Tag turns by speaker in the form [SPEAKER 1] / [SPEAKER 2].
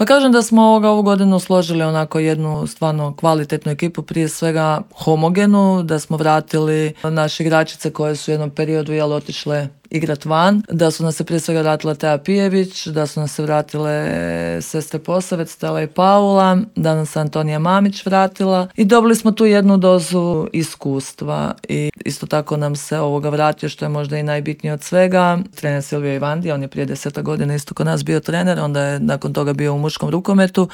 [SPEAKER 1] Pa kažem da smo ovu godinu složili onako jednu stvarno kvalitetnu ekipu, prije svega homogenu, da smo vratili naše igračice koje su u jednom periodu otišle igrat van, da su nas se prije svega vratila Teja Pijević, da su nas se vratile sestre Posavec, Stela i Paula, da nas se Antonija Mamić vratila i dobili smo tu jednu dozu iskustva i isto tako nam se vratio, što je možda i najbitnije od svega, trener Silvio Ivandi, on je prije 10 godina isto kod nas bio trener, onda je nakon toga bio u muškom rukometu